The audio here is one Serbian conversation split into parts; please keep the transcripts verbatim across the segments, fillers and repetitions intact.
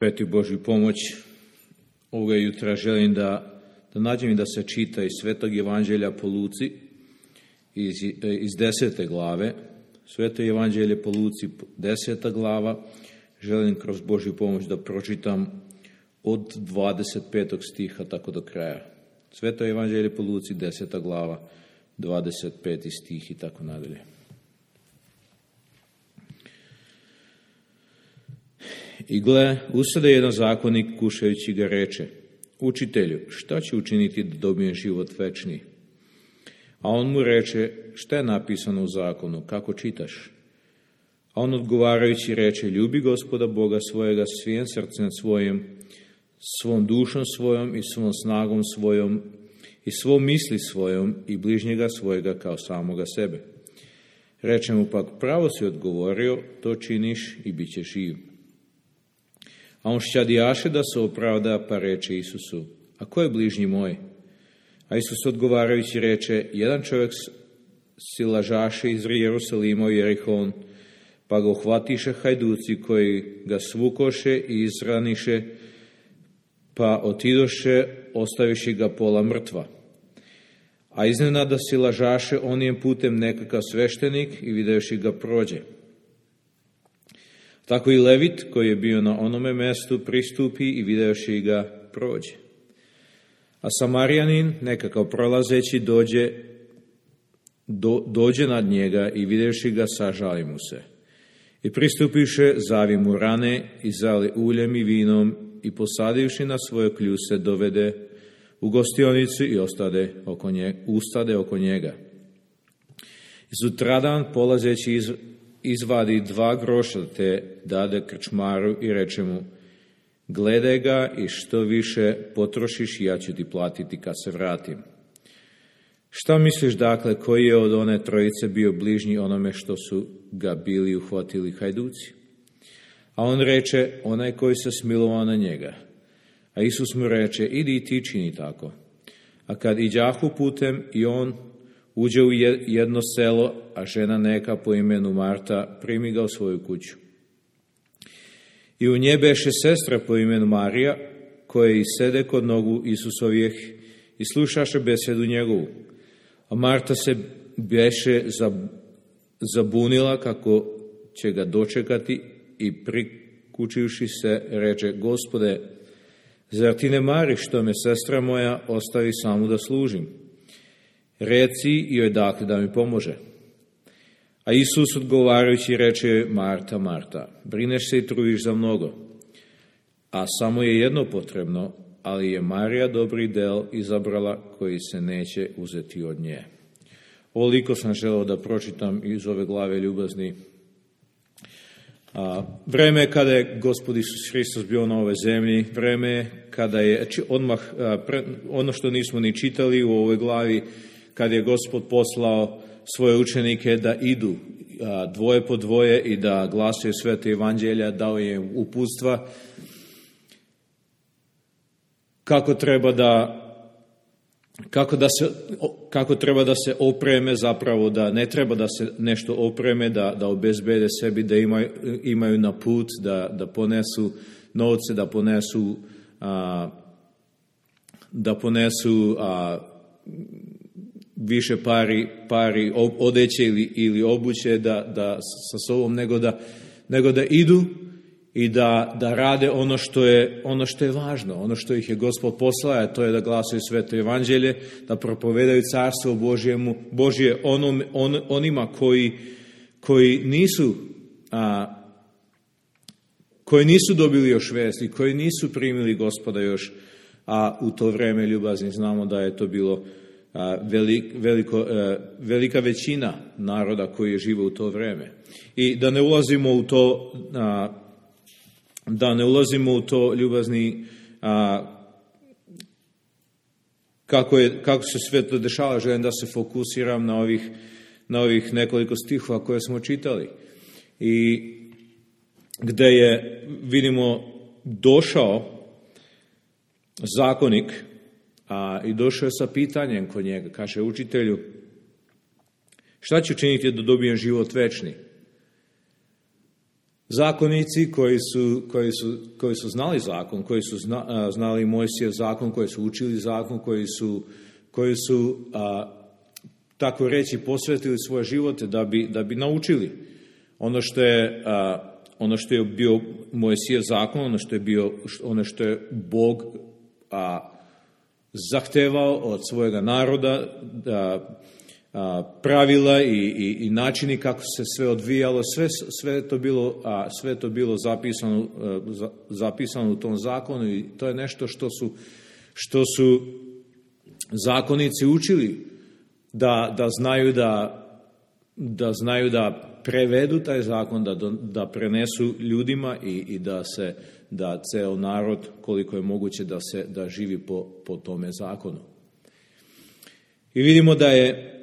Peti Božju pomoć, ovoga jutra želim da, da nađem i da se čita iz Svetog Evanđelja po Luci, iz, iz desete glave. Sveto Evanđelje po Luci, deseta glava. Želim kroz Božju pomoć da pročitam od dvadeset petog stiha tako do kraja. Sveto Evanđelje po Luci, deseta glava, dvadeset peti stih i tako nadalje. I gle, usade jedan zakonik, kušajući ga reče: Učitelju, šta ću učiniti da dobijem život večni? A on mu reče: šta je napisano u zakonu, kako čitaš? A on odgovarajući reče: ljubi Gospoda Boga svojega svim srcem svojim, svom dušom svojom i svom snagom svojom i svom misli svojom i bližnjega svojega kao samoga sebe. Reče mu pak: pravo si odgovorio, to činiš i bit ćeš živ. A on šćadijaše da se opravda, pa reče Isusu: a ko je bližnji moj? A Isus odgovarajući reče: jedan čovjek si lažaše iz Jerusalima u Jerihon, pa ga uhvatiše hajduci koji ga svukoše i izraniše, pa otidoše, ostaviši ga pola mrtva. A iznenada si lažaše onijem putem nekakav sveštenik i videoši ga prođe. Tako i Levit, koji je bio na onome mestu, pristupi i videoši ga prođe. A Samarijanin, nekakav prolazeći, dođe, do, dođe nad njega i videoši ga, sažali mu se. I pristupiše, zavi mu rane i zali uljem i vinom i posadivši na svoje kljuse, dovede u gostionicu i ostade oko njega, ustade oko njega. I sutradan, polazeći iz izvadi dva groša te dade krčmaru i reče mu: gledaj ga i što više potrošiš, ja ću ti platiti kad se vratim. Šta misliš dakle, koji je od one trojice bio bližnji onome što su ga bili uhvatili hajduci? A on reče: onaj koji se smilovao na njega. A Isus mu reče: idi i ti čini tako. A kad iđahu putem i on uđe u jedno selo, a žena neka po imenu Marta primi ga u svoju kuću. I u nje beše sestra po imenu Marija, koja i sede kod nogu Isusovijeh i slušaše besedu njegovu. A Marta se beše zabunila kako će ga dočekati i prikučivši se reče: Gospode, zar ti ne mariš što me sestra moja ostavi samu da služim? Reci joj dakle da mi pomože. A Isus odgovarajući reče: Marta, Marta, brineš se i trudiš za mnogo, a samo je jedno potrebno, ali je Marija dobri del izabrala koji se neće uzeti od nje. Ovoliko sam želeo da pročitam iz ove glave, ljubazni. A, vreme kada je Gospod Isus Hristos bio na ovoj zemlji, vreme kada je odmah, a, pre, ono što nismo ni čitali u ovoj glavi, kad je Gospod poslao svoje učenike da idu a, dvoje po dvoje i da glasaju Svete Evanđelja, dao je uputstva kako treba da kako da se kako treba da se opreme, zapravo da ne treba da se nešto opreme, da da obezbede sebi, da imaju imaju na put, da da ponesu novce, da ponesu a, da ponesu a, više pari, pari odeće ili, ili obuće da, da sa sobom, nego da, nego da idu i da, da rade ono što, je, ono što je važno, ono što ih je Gospod poslao, to je da glasaju Sveto Evanđelje, da propovedaju Carstvo Božjemu, Božje onom, on, onima koji, koji nisu a, koji nisu dobili još vest i koji nisu primili Gospoda još, a u to vreme, ljubazni, znamo da je to bilo Velik, veliko, velika većina naroda koji je živo u to vreme. I da ne ulazimo u to, da ne ulazimo u to, ljubazni, kako, je, kako se sve to dešava, želim da se fokusiram na ovih, na ovih nekoliko stihova koje smo čitali. I gde je, vidimo, došao zakonik, A, i došao je sa pitanjem kod njega. Kaže: učitelju, šta ću činiti da dobijem život večni? zakonici koji su, koji su, koji su znali zakon, koji su zna, znali Mojsijev zakon, koji su učili zakon, koji su, koji su a, tako reći posvetili svoje živote da bi, da bi naučili ono što je, a, ono što je bio Mojsijev zakon, ono što je bio, ono što je Bog a, zahtevao od svojega naroda, da a, pravila i, i, i načini kako se sve odvijalo, sve, sve je to bilo, a, sve je to bilo zapisano, a, za, zapisano u tom zakonu i to je nešto što su, što su zakonici učili, da, da znaju da, da znaju da prevedu taj zakon, da, da prenesu ljudima i, i da se da ceo narod koliko je moguće da se da živi po, po tome zakonu. I vidimo da je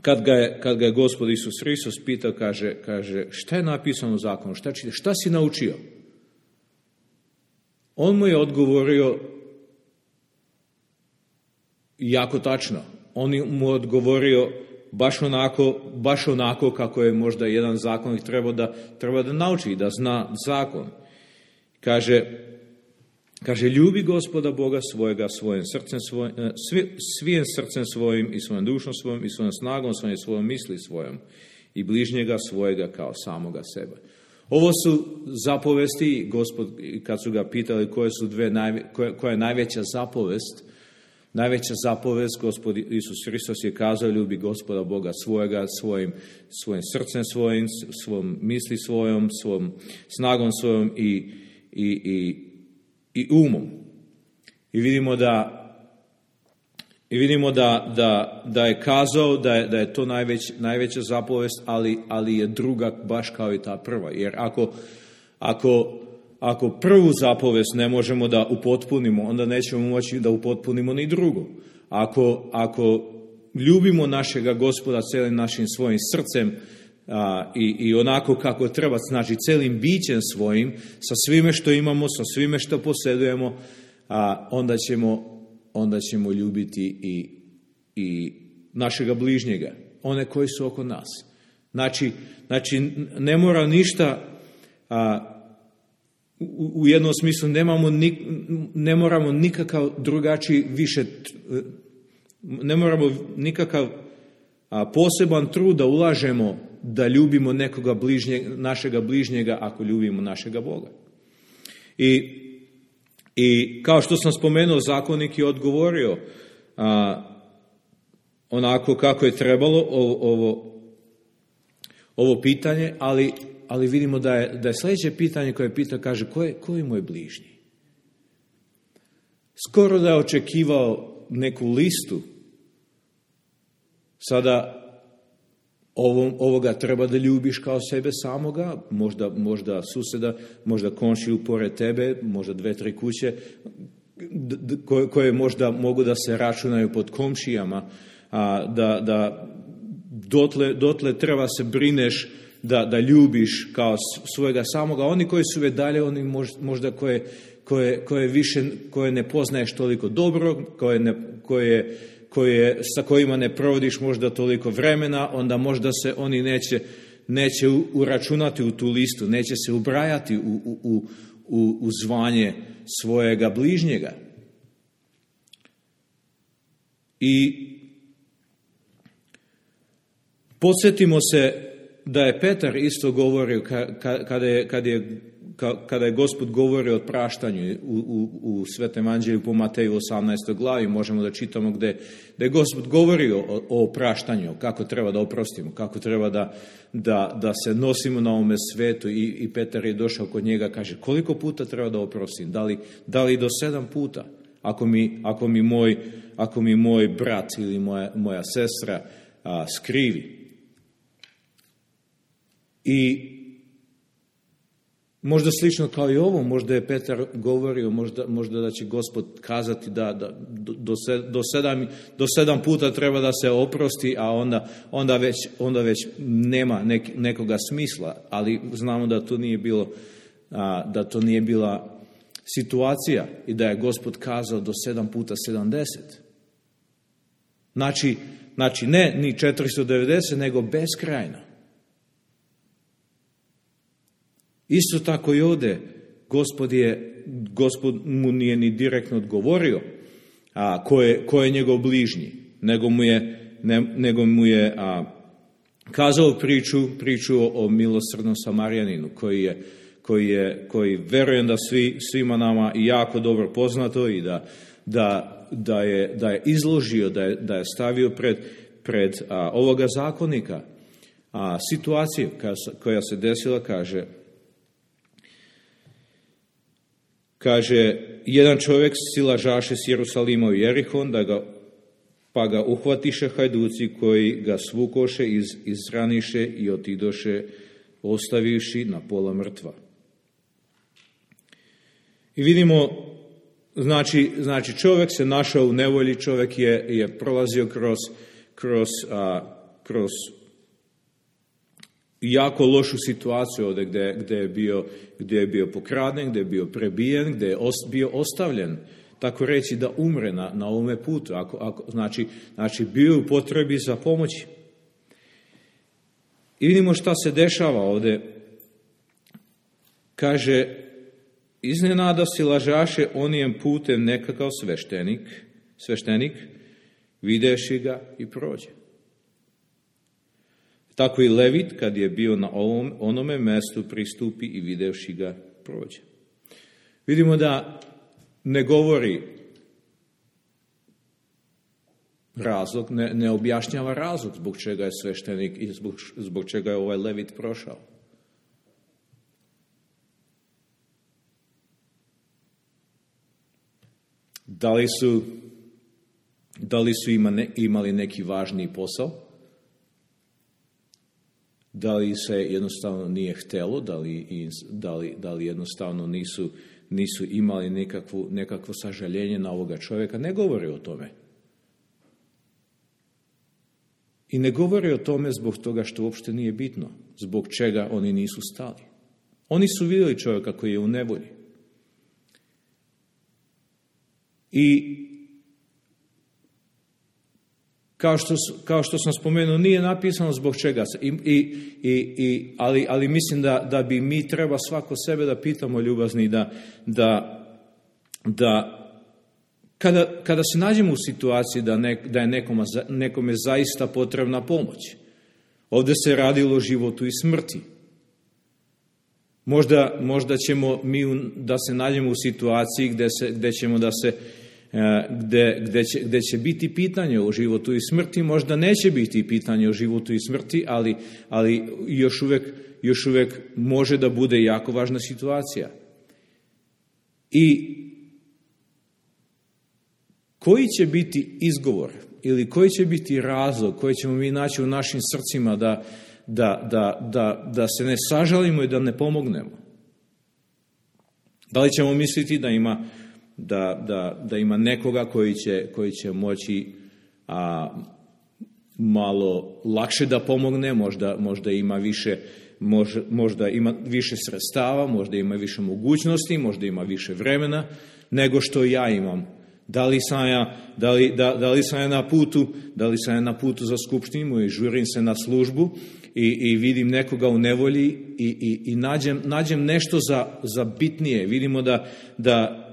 kad ga je, kad ga je Gospod Isus Hristos pitao, kaže, kaže šta je napisano u zakonu, šta, čite, šta si naučio? On mu je odgovorio jako tačno. On mu je odgovorio baš onako, baš onako kako je možda jedan zakonik treba da, treba da nauči, da zna zakon. Kaže, kaže, ljubi Gospoda Boga svojega svojim srcem svojim, svi, svijim srcem svojim i svojom dušom svojom i svojom snagom svojom i svojom misli svojom i bližnjega svojega kao samoga sebe. Ovo su zapovesti, Gospod, kad su ga pitali koje su dve, koja, koja je najveća zapovest, najveća zapovest, Gospod Isus Hristos je kazao, ljubi Gospoda Boga svojega svojim, svojim srcem svojim, svom misli svojom, svom snagom svojom i, i, i, i umom. I vidimo da i vidimo da, da, da je kazao da je, da je to najveć, najveća zapovest, ali, ali je druga baš kao i ta prva. Jer ako, ako Ako prvu zapovest ne možemo da upotpunimo, onda nećemo moći da upotpunimo ni drugu. Ako, ako ljubimo našega Gospoda celim našim svojim srcem a, i, i onako kako treba, znači celim bićem svojim, sa svime što imamo, sa svime što posjedujemo, a, onda, ćemo, onda ćemo ljubiti i, i našega bližnjega, one koji su oko nas. Znači, znači ne mora ništa... A, U jednom smislu nemamo, ne moramo nikakav drugačiji više, ne moramo nikakav poseban trud da ulažemo da ljubimo nekoga bližnjeg, našega bližnjega ako ljubimo našega Boga. I, i kao što sam spomenuo, zakonik je odgovorio a, onako kako je trebalo ovo, ovo, ovo pitanje, ali Ali vidimo da je, da je sljedeće pitanje koje pita, kaže, ko je, ko je moj bližnji? Skoro da je očekivao neku listu. Sada ovom, ovoga treba da ljubiš kao sebe samoga, možda, možda suseda, možda komšiju pored tebe, možda dve, tri kuće, koje, koje možda mogu da se računaju pod komšijama, a da, da dotle, dotle treba se brineš Da, da ljubiš kao svojega samoga. Oni koji su već dalje, oni možda koje, koje, koje više, koje ne poznaješ toliko dobro, koje ne, koje, koje, sa kojima ne provodiš možda toliko vremena, onda možda se oni neće, neće uračunati u tu listu, neće se ubrajati u, u, u, u zvanje svojega bližnjega. I podsjetimo se da je Petar isto govorio kada je, kada je, kada je Gospod govorio o praštanju u, u, u Svetom evanđelju po Mateju osamnaestoj glavi, možemo da čitamo gde, gde je Gospod govorio o, o praštanju, kako treba da oprostimo, kako treba da, da, da se nosimo na ovome svetu i, i Petar je došao kod njega, kaže, koliko puta treba da oprostim, da li, da li do sedam puta, ako mi, ako mi, moj, ako mi moj brat ili moja, moja sestra a, skrivi. I možda slično kao i ovo, možda je Petar govorio, možda, možda da će Gospod kazati da, da do, do, sedam, do sedam puta treba da se oprosti, a onda, onda, već, onda već nema nek, nekoga smisla, ali znamo da to nije bilo, a, da to nije bila situacija i da je Gospod kazao do sedam puta sedamdeset. Znači, znači ne ni četiristo devedeset, nego beskrajno. Isto tako i ovdje, Gospod, je, Gospod mu nije ni direktno odgovorio a, ko, je, ko je njegov bližnji, nego mu je, ne, nego mu je a, kazao priču, priču o, o milosrdnom Samarijaninu, koji je, koji je, koji verujem da svi, svima nama jako dobro poznato i da, da, da, je, da je izložio, da je, da je stavio pred, pred a, ovoga zakonika a, situaciju koja, koja se desila, kaže, kaže, jedan čovjek silažaše s Jerusalima u Jerihon, da ga, pa ga uhvatiše hajduci koji ga svukoše, iz, izraniše i otidoše, ostavivši na pola mrtva. I vidimo, znači, znači čovjek se našao u nevolji, čovjek je, je prolazio kroz, kroz, a, kroz jako lošu situaciju ovdje gdje, gdje, je bio, gdje je bio pokraden, gdje je bio prebijen, gdje je os, bio ostavljen, tako reći da umre na, na ovome putu, ako, ako, znači, znači bio u potrebi za pomoći. I vidimo šta se dešava ovdje. Kaže, iznenada silažaše onijem putem nekakav sveštenik, sveštenik, videši ga i prođe. Tako i Levit, kad je bio na ovom, onome mjestu, pristupi i videvši ga prođe. Vidimo da ne govori razlog, ne, ne objašnjava razlog zbog čega je sveštenik i zbog, zbog čega je ovaj Levit prošao. Da li su, da li su ima ne, imali neki važniji posao? Da li se jednostavno nije htjelo, da li, da li, da li jednostavno nisu, nisu imali nekakvu, nekakvo sažaljenje na ovoga čovjeka? Ne govori o tome. I ne govori o tome zbog toga što uopšte nije bitno, zbog čega oni nisu stali. Oni su vidjeli čovjeka koji je u nevolji. I kao što, kao što sam spomenuo, nije napisano zbog čega se, i, i, i, ali, ali mislim da, da bi mi treba svako sebe da pitamo, ljubazni, da, da, da kada, kada se nađemo u situaciji da, ne, da je nekome, nekome zaista potrebna pomoć. Ovdje se radilo o životu i smrti. Možda, možda ćemo mi da se nađemo u situaciji gdje, se, gdje ćemo da se Gde, gde, će, gde će biti pitanje o životu i smrti, možda neće biti pitanje o životu i smrti, ali, ali još, uvijek, još uvijek može da bude jako važna situacija. I koji će biti izgovor ili koji će biti razlog koji ćemo mi naći u našim srcima da, da, da, da, da se ne sažalimo i da ne pomognemo? Da li ćemo misliti da ima Da, da, da ima nekoga koji će, koji će moći a, malo lakše da pomogne, možda, možda ima više, možda, možda ima više sredstava, možda ima više mogućnosti, možda ima više vremena nego što ja imam. Da li sam ja, da li, da, da li sam ja na putu, da li sam ja na putu za skupštinu i žurim se na službu i, i vidim nekoga u nevolji i, i, i nađem, nađem nešto za, za bitnije. Vidimo da, da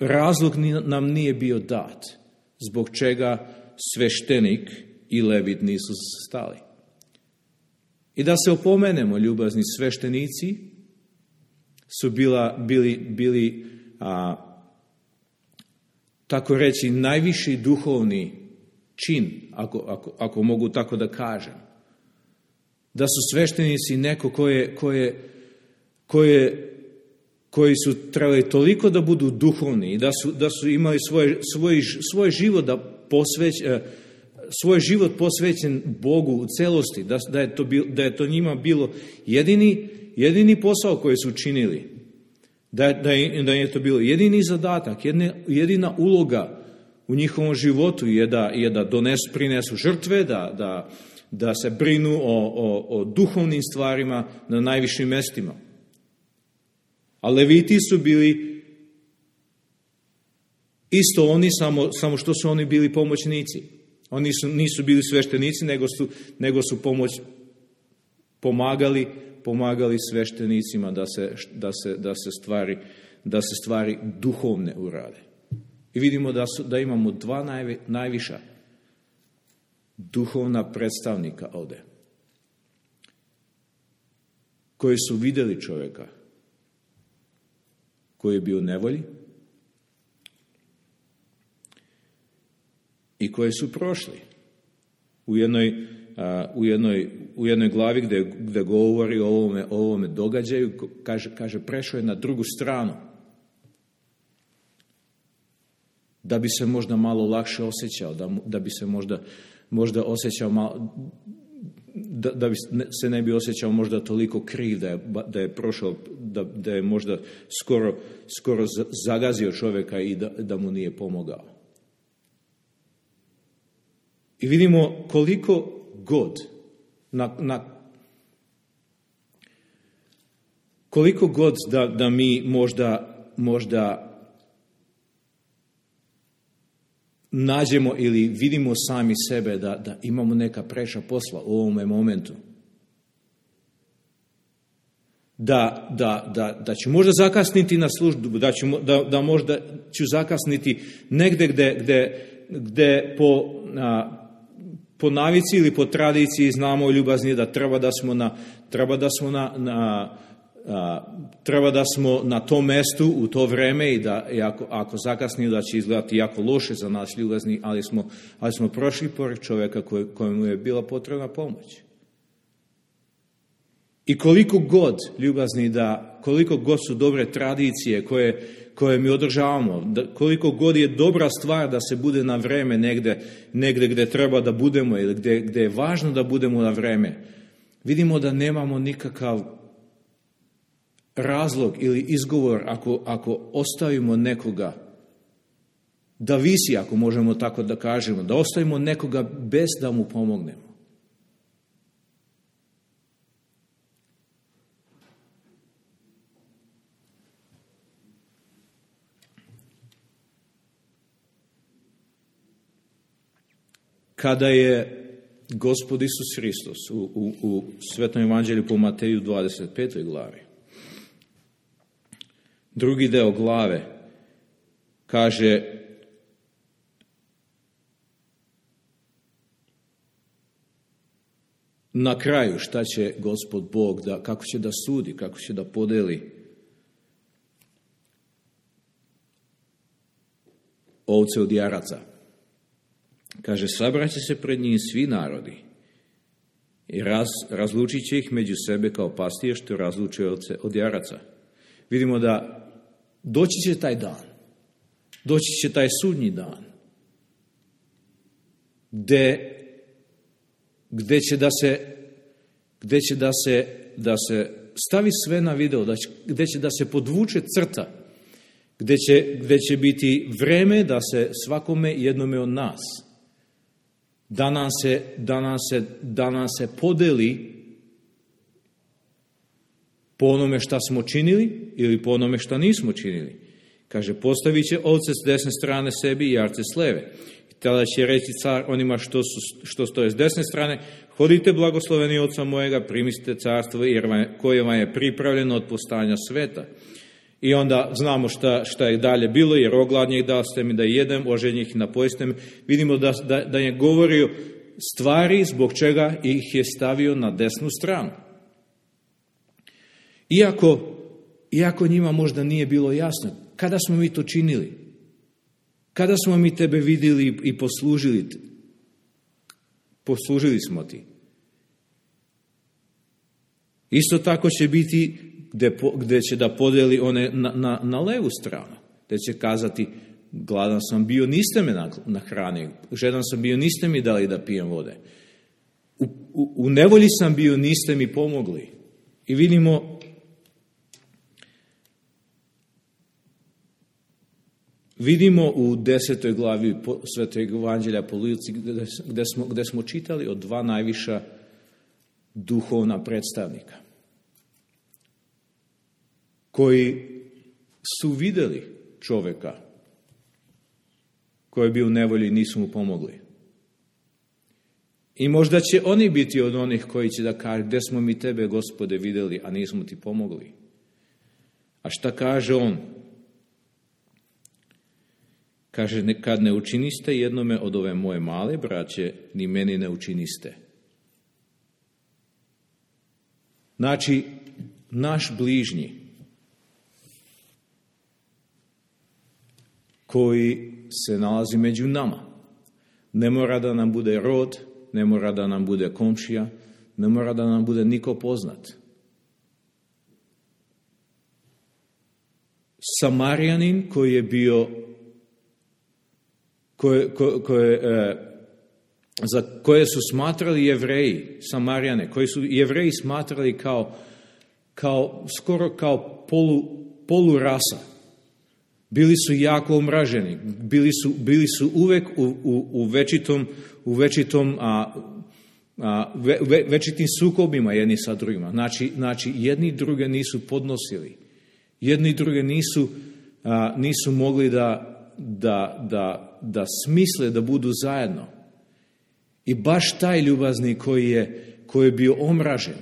razlog nam nije bio dat, zbog čega sveštenik i Levit nisu stali. I da se opomenemo, ljubazni, sveštenici su bila, bili, bili a, tako reći, najviši duhovni čin, ako, ako, ako mogu tako da kažem. Da su sveštenici neko koje, koje, koje koji su trebali toliko da budu duhovni i da su, da su imali svoj, svoj, svoj život da posveć, svoj život posvećen Bogu u celosti, da, da, je to bil, da je to njima bilo jedini, jedini posao koji su činili, da, da, je, da je to bilo jedini zadatak, jedne, jedina uloga u njihovom životu je da, je da donesu, prinesu žrtve, da, da, da se brinu o, o, o duhovnim stvarima na najvišim mestima. A Leviti su bili isto oni, samo, samo što su oni bili pomoćnici. Oni su, nisu bili sveštenici, nego su, nego su pomoć, pomagali, pomagali sveštenicima da se, da se, da se, stvari, da se stvari duhovne urade. I vidimo da, su, da imamo dva najvi, najviša duhovna predstavnika ovdje, koji su vidjeli čovjeka koji je bio u nevolji i koji su prošli u jednoj, a, u jednoj, u jednoj glavi gdje, gdje govori o ovome, o ovome događaju, kaže, kaže prešao je na drugu stranu da bi se možda malo lakše osjećao, da, da bi se možda, možda osjećao malo, da, da bi se ne bi osjećao možda toliko kriv da je, da je prošao, da, da je možda skoro, skoro zagazio čovjeka i da, da mu nije pomogao. I vidimo koliko god na, na koliko god da, da mi možda, možda nađemo ili vidimo sami sebe da, da imamo neka preša posla u ovome momentu. Da, da, da, da ću možda zakasniti na službu, da, ću, da, da možda ću zakasniti negdje gdje, gdje, gdje po, a, po navici ili po tradiciji znamo ljubazni da treba da smo na, treba da smo na, na a, treba da smo na tom mjestu u to vrijeme i da i ako, ako zakasnimo da će izgledati jako loše za nas ljubazni, ali smo, ali smo prošli pored čovjeka koj, kojemu je bila potrebna pomoć. I koliko god ljubazni da, koliko god su dobre tradicije koje, koje mi održavamo, da, koliko god je dobra stvar da se bude na vrijeme negdje, negdje gdje treba da budemo ili gdje, gdje je važno da budemo na vrijeme, vidimo da nemamo nikakav razlog ili izgovor ako, ako ostavimo nekoga da visi, ako možemo tako da kažemo, da ostavimo nekoga bez da mu pomognemo. Kada je Gospod Isus Hristos u, u, u Svetom evanđelju po Mateju dvadeset petoj glavi, drugi deo glave, kaže na kraju šta će Gospod Bog, da, kako će da sudi, kako će da podeli ovce od jaraca. Kaže, sabraće se pred njim svi narodi i raz, razlučit će ih među sebe kao pastir što razlučuje ovce od jaraca. Vidimo da doći će taj dan, doći će taj sudnji dan, gdje, gdje će da se, gdje će da se, da se stavi sve na video, da će, gdje će da se podvuče crta, gdje će, gdje će biti vreme da se svakome jednome od nas, da nam se, da nam se, da nam se podeli po onome šta smo činili ili po onome šta nismo činili. Kaže, postavit će ovce s desne strane sebi i jarce s leve. I tada će reći car onima što, su, što stoje s desne strane, hodite blagosloveni oca mojega, primiste carstvo jer vam, koje vam je pripravljeno od postanja sveta. I onda znamo šta, šta je dalje bilo, jer ogladnjih daste mi da jedem, oženjih napojiste mi. Vidimo da, da, da je govorio stvari zbog čega ih je stavio na desnu stranu. Iako, iako njima možda nije bilo jasno, kada smo mi to činili? Kada smo mi tebe vidjeli i poslužili? Poslužili smo ti. Isto tako će biti gdje, gdje će da podeli one na, na, na levu stranu, gdje će kazati, gladan sam bio, niste me nahranili, žedan sam bio, niste mi dali da pijem vode. U, u, u nevolji sam bio, niste mi pomogli. I vidimo Vidimo u desetoj glavi Svetog evanđelja po Luci gdje, gdje, smo, gdje smo čitali o dva najviša duhovna predstavnika koji su vidjeli čovjeka koji je bio u nevolji i nisu mu pomogli. I možda će oni biti od onih koji će da kažu, gdje smo mi tebe, Gospode, vidjeli, a nismo ti pomogli. A šta kaže on? Kaže, kad ne učiniste jednome od ove moje male braće, ni meni ne učiniste. Znači, naš bližnji, koji se nalazi među nama, ne mora da nam bude rod, ne mora da nam bude komšija, ne mora da nam bude niko poznat. Samarijanin koji je bio, koje, koje, koje, e, za koje su smatrali Jevreji, Samarijane, koji su Jevreji smatrali kao, kao skoro kao polu, polu rasa. Bili su jako omraženi, bili su, bili su uvek u, u, u večitom, u večitom a, a, ve, ve, večitim sukobima jedni sa drugima. Znači, znači jedni druge nisu podnosili. Jedni druge nisu, a, nisu mogli da, da, da, da smisle da budu zajedno. I baš taj ljubazni koji je, koji je bio omražen,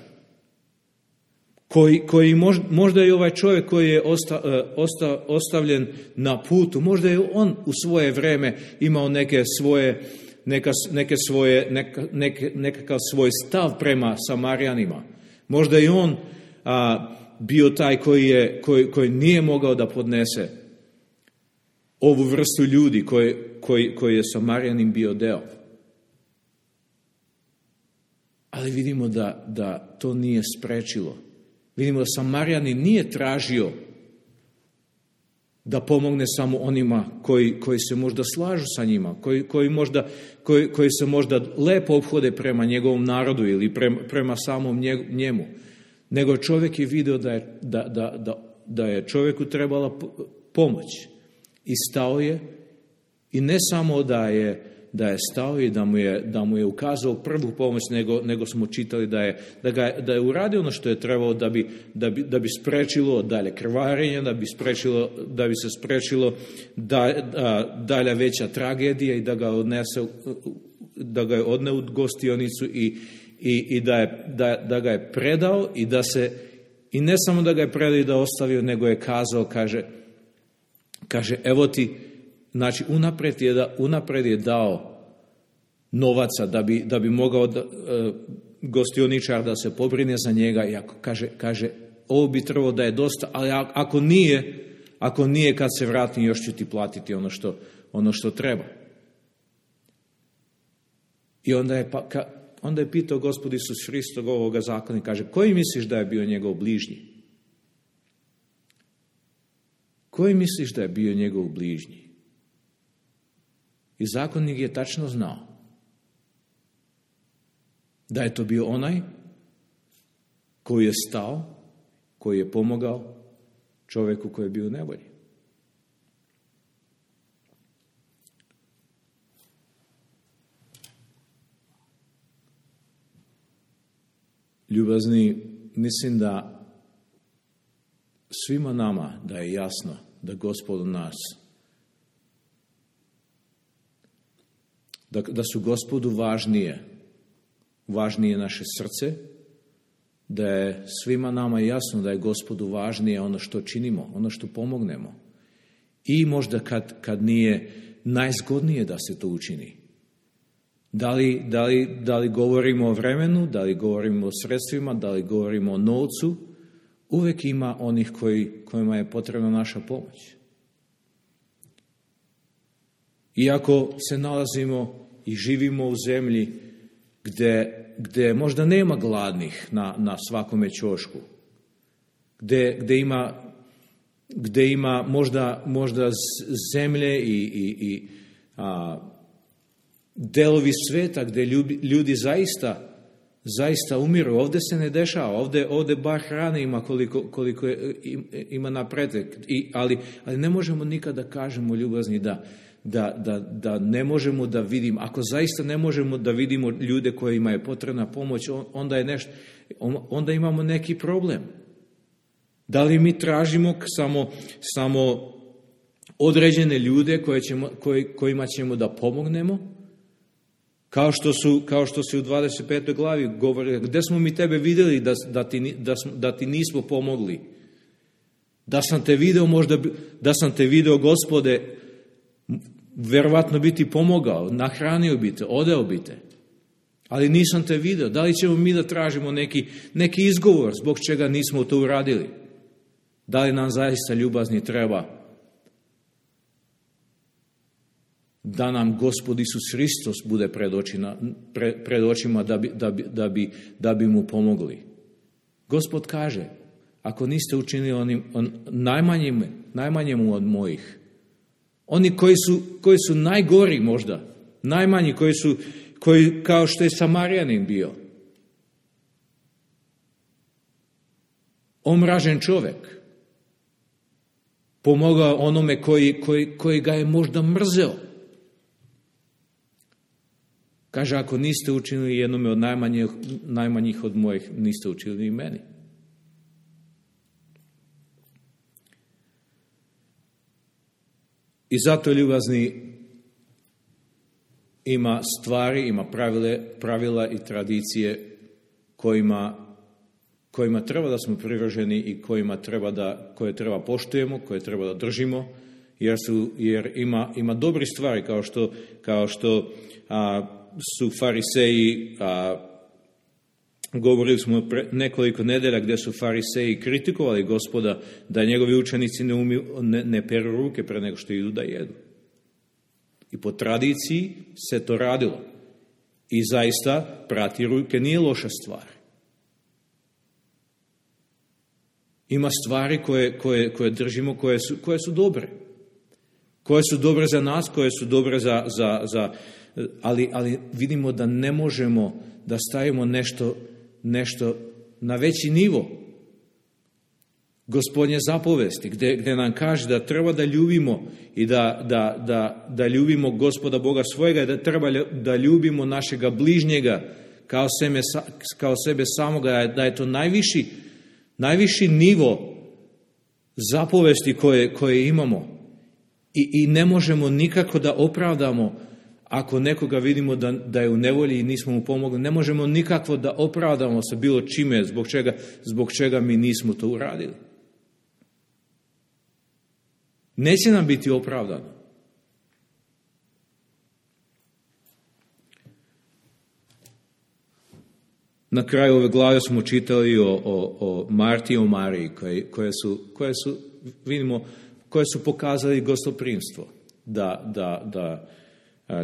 koji, koji možda, možda je ovaj čovjek koji je osta, osta, ostavljen na putu, možda je on u svoje vreme imao neke svoje, neka, neke svoje, neka, neke, nekakav svoj stav prema Samarijanima. Možda je on a, bio taj koji, je, koji, koji nije mogao da podnese ovu vrstu ljudi koji, koji, koji je Samarijanin bio deo. Ali vidimo da, da to nije sprečilo. Vidimo da Samarijanin nije tražio da pomogne samo onima koji, koji se možda slažu sa njima, koji, koji, možda, koji, koji se možda lepo ophode prema njegovom narodu ili prema, prema samom njemu. Nego čovjek je vidio da je, da, da, da, da je čovjeku trebala pomoć. I stao je, i ne samo da je, da je stao i da mu je, da mu je ukazao prvu pomoć, nego, nego smo čitali da je, da, ga, da je uradio ono što je trebalo da bi, da bi, da bi sprečilo dalje krvarenje, da bi, sprečilo, da bi se sprečilo da, da, dalja veća tragedija i da ga odnese, da ga je odne u gostionicu i, i, i da, je, da, da ga je predao i da se, i ne samo da ga je predao i da ostavio, nego je kazao, kaže, kaže evo ti, znači unapred je, da, unapred je dao novaca da bi, da bi mogao da, e, gostioničar da se pobrine za njega i ako kaže, kaže ovo bi trebalo da je dosta, ali ako nije, ako nije kad se vratim još ću ti platiti ono što, ono što treba. I onda je, pa, ka, onda je pitao Gospod Isus Hristog ovoga zakona i kaže, koji misliš da je bio njegov bližnji? Koji misliš da je bio njegov bližnji? I zakonnik je tačno znao da je to bio onaj koji je stao, koji je pomogao čovjeku koji je bio u nevolji. Ljubazni, mislim da svima nama da je jasno da Gospod nas, da, da su Gospodu važnije, važnije naše srce, da je svima nama jasno da je Gospodu važnije ono što činimo, ono što pomognemo. I možda kad, kad nije najzgodnije da se to učini. Da li, da li, da li govorimo o vremenu, da li govorimo o sredstvima, da li govorimo o novcu, uvijek ima onih koji, kojima je potrebna naša pomoć. Iako se nalazimo i živimo u zemlji gdje, gdje možda nema gladnih na, na svakome ćošku, gdje, gdje ima, gdje ima možda, možda zemlje i, i, i a, delovi sveta gdje ljudi, ljudi zaista zaista umiru. Ovdje se ne dešava, ovdje, ovdje bar hrane ima koliko, koliko je, ima napretek, I, ali, ali ne možemo nikada kažemo ljubazni da, da, da, da ne možemo da vidimo, ako zaista ne možemo da vidimo ljude kojima je potrebna pomoć, onda, je nešto, onda imamo neki problem. Da li mi tražimo samo, samo određene ljude koje ćemo, koji, kojima ćemo da pomognemo, Kao što su, kao što se u dvadeset petoj glavi govori, gdje smo mi tebe vidjeli da, da, ti, da, da ti nismo pomogli? Da sam te video, možda, da sam te video, Gospode, vjerovatno bi ti pomogao, nahranio bi te, odeo bi te. Ali nisam te video. Da li ćemo mi da tražimo neki, neki izgovor zbog čega nismo to uradili? Da li nam zaista, ljubazni, treba da nam Gospod Isus Hristos bude pred očima, pred, pred očima da, bi, da, bi, da, bi, da bi mu pomogli? Gospod kaže, ako niste učinili onim, on, najmanjim, najmanjemu od mojih, oni koji su, koji su najgori možda, najmanji, koji su, koji, kao što je Samarijanin bio, omražen čovjek, pomogao onome koji, koji, koji ga je možda mrzeo. Kaže, ako niste učinili jednome od najmanjih, najmanjih od mojih, niste učinili i meni. I zato, ljubazni, ima stvari, ima pravile, pravila i tradicije kojima, kojima treba da smo privrženi i kojima treba da, koje treba poštujemo, koje treba da držimo, jer, su, jer ima, ima dobri stvari, kao što, kao što a, su fariseji, a, govorili smo pre nekoliko nedelja gdje su fariseji kritikovali Gospoda da njegovi učenici ne, umiju, ne, ne peru ruke pre nego što idu da jedu. I po tradiciji se to radilo. I zaista prati ruke nije loša stvar. Ima stvari koje, koje, koje držimo, koje su, koje su dobre. Koje su dobre za nas, koje su dobre za... za, za ali, ali vidimo da ne možemo da stavimo nešto, nešto na veći nivo Gospodnje zapovesti, gdje, gdje nam kaže da treba da ljubimo i da, da, da, da ljubimo Gospoda Boga svojega i da treba da ljubimo našega bližnjega kao sebe, kao sebe samoga, da je to najviši, najviši nivo zapovesti koje, koje imamo. I, I ne možemo nikako da opravdamo ako nekoga vidimo da, da je u nevolji i nismo mu pomogli. Ne možemo nikako da opravdamo sa bilo čime zbog čega, zbog čega mi nismo to uradili. Neće nam biti opravdano. Na kraju ove glave smo čitali o, o, o Marti i o Mariji, koje, koje, su, koje su, vidimo, koje su pokazali gostoprimstvo. Da, da, da,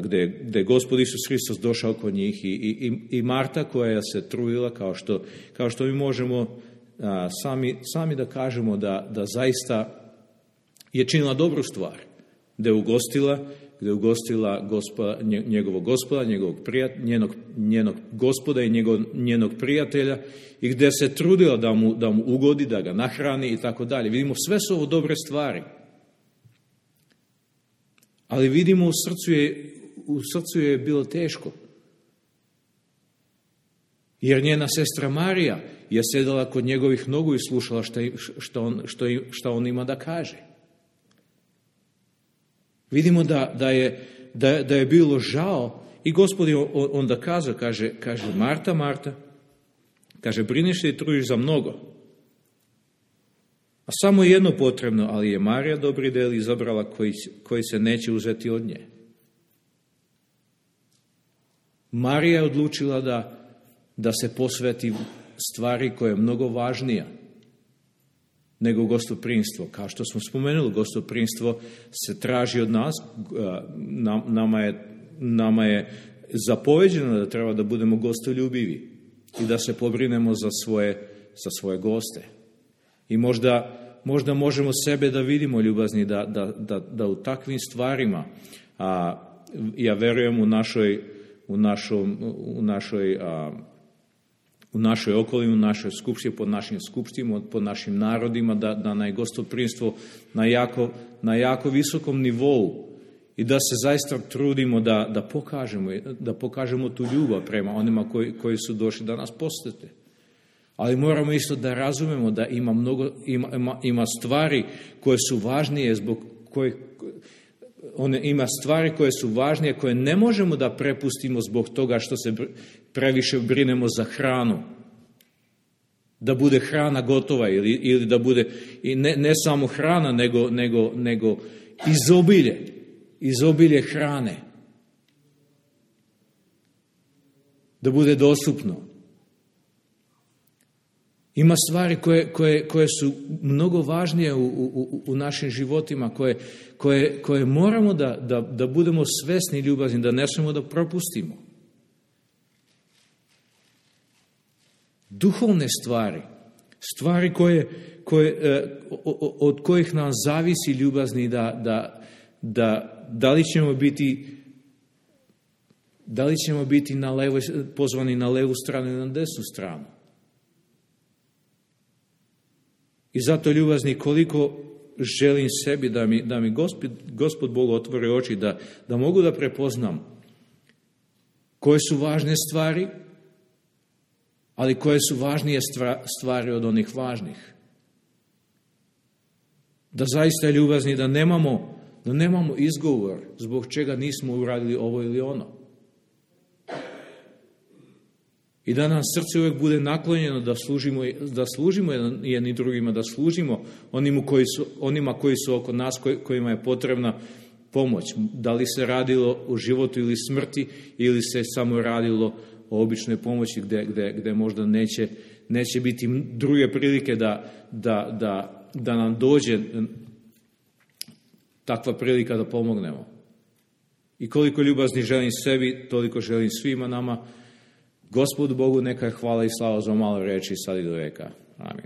gdje, gdje je Gospod Isus Hristos došao kod njih i, i, i Marta koja se trudila, kao što, kao što mi možemo a, sami, sami da kažemo da, da zaista je činila dobru stvar, da je ugostila, da je ugostila gospa, njegovog gospoda, njegovog prijat, njenog, njenog gospoda i njegov, njenog prijatelja i gdje se trudila da mu, da mu ugodi, da ga nahrani i tako dalje. Vidimo, sve su ovo dobre stvari. Ali vidimo, u srcu je, u srcu je bilo teško. Jer njena sestra Marija je sedala kod njegovih nogu i slušala šta, šta, on, šta, šta on ima da kaže. Vidimo da, da, je, da, da je bilo žao i Gospod je onda kazao, kaže, kaže Marta, Marta, kaže, brineš se i trudiš za mnogo. A samo je jedno potrebno, ali je Marija dobri del izabrala koji, koji se neće uzeti od nje. Marija je odlučila da, da se posveti stvari koja je mnogo važnija nego gostoprimstvo. Kao što smo spomenuli, gostoprimstvo se traži od nas, nama je, nama je zapoveđeno da treba da budemo gostoljubivi i da se pobrinemo za svoje, za svoje goste. I možda, možda možemo sebe da vidimo, ljubazni, da, da, da, da u takvim stvarima, a, ja verujem u našoj, u našom, u našoj a, u našoj okolini, u našoj skupštini, pod našim skupštima, pod našim narodima, da, da na gostoprimstvo na jako, na jako visokom nivou i da se zaista trudimo da, da, pokažemo, da pokažemo tu ljubav prema onima koji, koji su došli da nas posjete. Ali moramo isto da razumemo da ima, mnogo, ima, ima, ima stvari koje su važnije, zbog kojih one, ima stvari koje su važnije, koje ne možemo da prepustimo zbog toga što se previše brinemo za hranu. Da bude hrana gotova ili, ili da bude i ne, ne samo hrana, nego, nego, nego izobilje, izobilje hrane. Da bude dostupno. Ima stvari koje, koje, koje su mnogo važnije u, u, u našim životima, koje, koje, koje moramo da, da, da budemo svesni i ljubazni, da ne smemo da propustimo. Duhovne stvari, stvari koje, koje, od kojih nam zavisi ljubazni da, da, da, da li ćemo biti da li ćemo biti na levo, pozvani na levu stranu ili na desnu stranu. I zato, ljubazni, koliko želim sebi da mi, da mi Gospod, Gospod Bog otvori oči, da, da mogu da prepoznam koje su važne stvari, ali koje su važnije stvari od onih važnih. Da zaista, ljubazni, da nemamo, da nemamo izgovor zbog čega nismo uradili ovo ili ono. I da nam srce uvijek bude naklonjeno da služimo, da služimo jedni drugima, da služimo onima koji su, onima koji su oko nas, kojima je potrebna pomoć. Da li se radilo o životu ili smrti, ili se samo radilo o običnoj pomoći gdje, gdje, gdje možda neće, neće biti druge prilike da, da, da, da nam dođe takva prilika da pomognemo. I koliko ljubazni želim sebi, toliko želim svima nama. Gospodu Bogu neka je hvala i slava za malo reči sad i do veka. Amin.